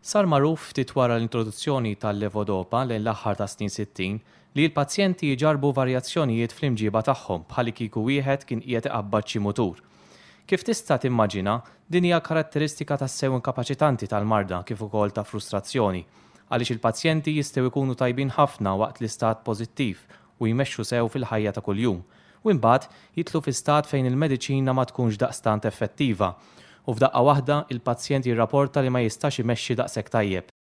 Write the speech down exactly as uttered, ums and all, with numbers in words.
Sar magħruf ftit wara l-introduzzjoni tal-levodopa lejn l-aħħar tas-snin sittin li l-pazjenti jġarrbu varjazzjonijiet fl-imġiba tagħhom bħallikieku wieħed kien qiegħed iqabbad xi mutur. Kif tista' timmaġina, din hija karatteristika tassew inkapaċitanti tal-marda kif ukoll ta' frustrazzjoni, għaliex il-pazjenti jistgħu jkunu tajbin ħafna waqt l-istat pożittiv u jmexxu sew fil-ħajja ta' kuljum, u imbagħad jidħlu fi stat fejn il-mediċina ma tkunx daqstant effettiva u f'daqqa waħda il-pazjent jirrapporta li ma jistax imexxi daqshekk tajjeb.